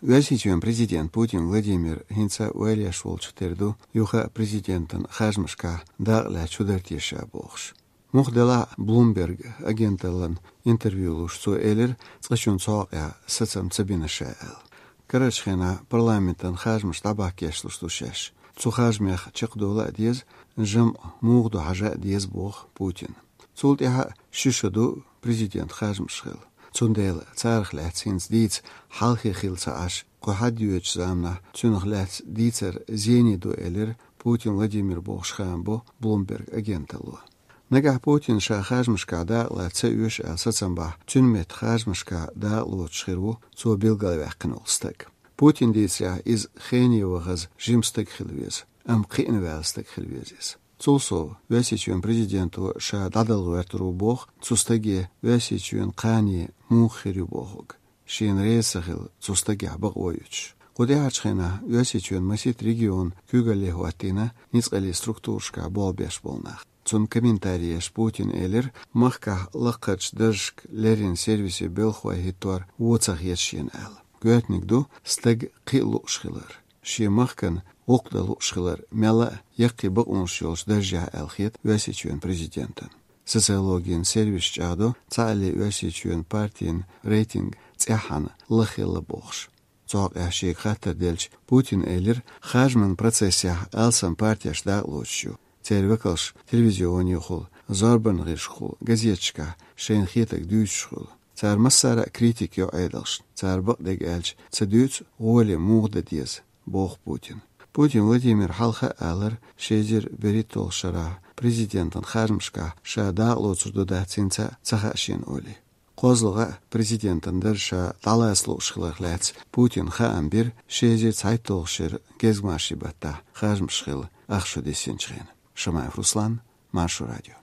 Весичен президент Путин Владимир Хинца Уэльяш Волчтерду Юха президентен Хажмашка Дагля Чудертиша Бохш. Мухдела Блумберг агенталан интервьюлуш су элер цгашун цоя сацам цабинашаэл. Карачхена парламентан Хажмаш табакешлуштушеш. Цухажмех чекдола диез жам мугду хажа диез бох Путин. Цултиха шишаду президент Хажмашхел. Цундел цархлацинс диц халхи хилца аш кохадюч замна цунхлац дицер зениду элер Путин Владимир Бохшхамбо Блумберг агенталу. Нагах Путин ша Хажмашка да ла цаюш асацамба цунмет Хажмашка да лучхиру цо билгалвахкнолстак. Путин диця из хениевагаз жимстак хилвез ам қинвелстак хилвезис. Цулсо весичен президенту ша дадалуэртуру бог цустаги весичен қани мухирю богог. Шин рейсахил цустаги абаг ойуч. Кудеачхена весичен масит регион кюгалехуатина ницкали структуршка болбеш болнах. Цун комментариеш Путин элер махка лақач дыршк лерин сервиси белхуа хитуар уцах ешен эл. Гуэтникду стаг қилушхилар. Ши махкан Оqdalушхилар мяла яқи бақуншилш държа элхит весичен президентен. Социологиен сервис чадо цали весичен партиен рейтинг цяхан лахила бохш. Цог ашик хатар дельч Путин элер хажман процессе алсам партияш да лучшу. Тервекалш телевизиони хул, зарбан ришхул, газетчка, шейн хитак дючхул. Цар массара критик йо айдалш. Цар бақдег элч цадюц голи мугда диез бог Путин. Путин Владимир халха алар шезер беритол шара президентан Хажмашка шада лоцурдуда цинца цахашин оли. Козлыга президентан дырша таласлу шхилахлац Путин хаамбир шезер цайтолшир gezмашибата Хажмашхил ахшу десенчген. Шамаев Руслан, Маршу радио.